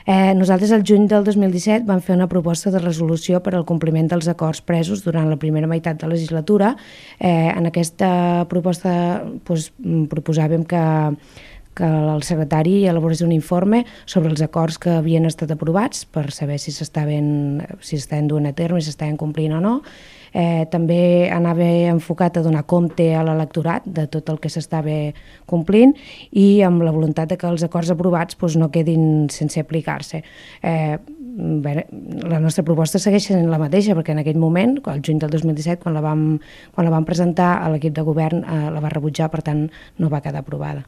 Nosaltres el juny del 2017 vam fer una proposta de resolució per al compliment dels acords presos durant la primera meitat de la legislatura. En aquesta proposta proposàvem que el secretari elaborés un informe sobre els acords que havien estat aprovats per saber si s'estaven duent a terme, si s'estaven complint o no. També anava enfocat a donar compte a l'electorat de tot el que s'estava complint i amb la voluntat de que els acords aprovats no quedin sense aplicar-se. La nostra proposta segueix sent la mateixa, perquè en aquell moment, el juny del 2017, quan la vam presentar a l'equip de govern, la va rebutjar, per tant no va quedar aprovada.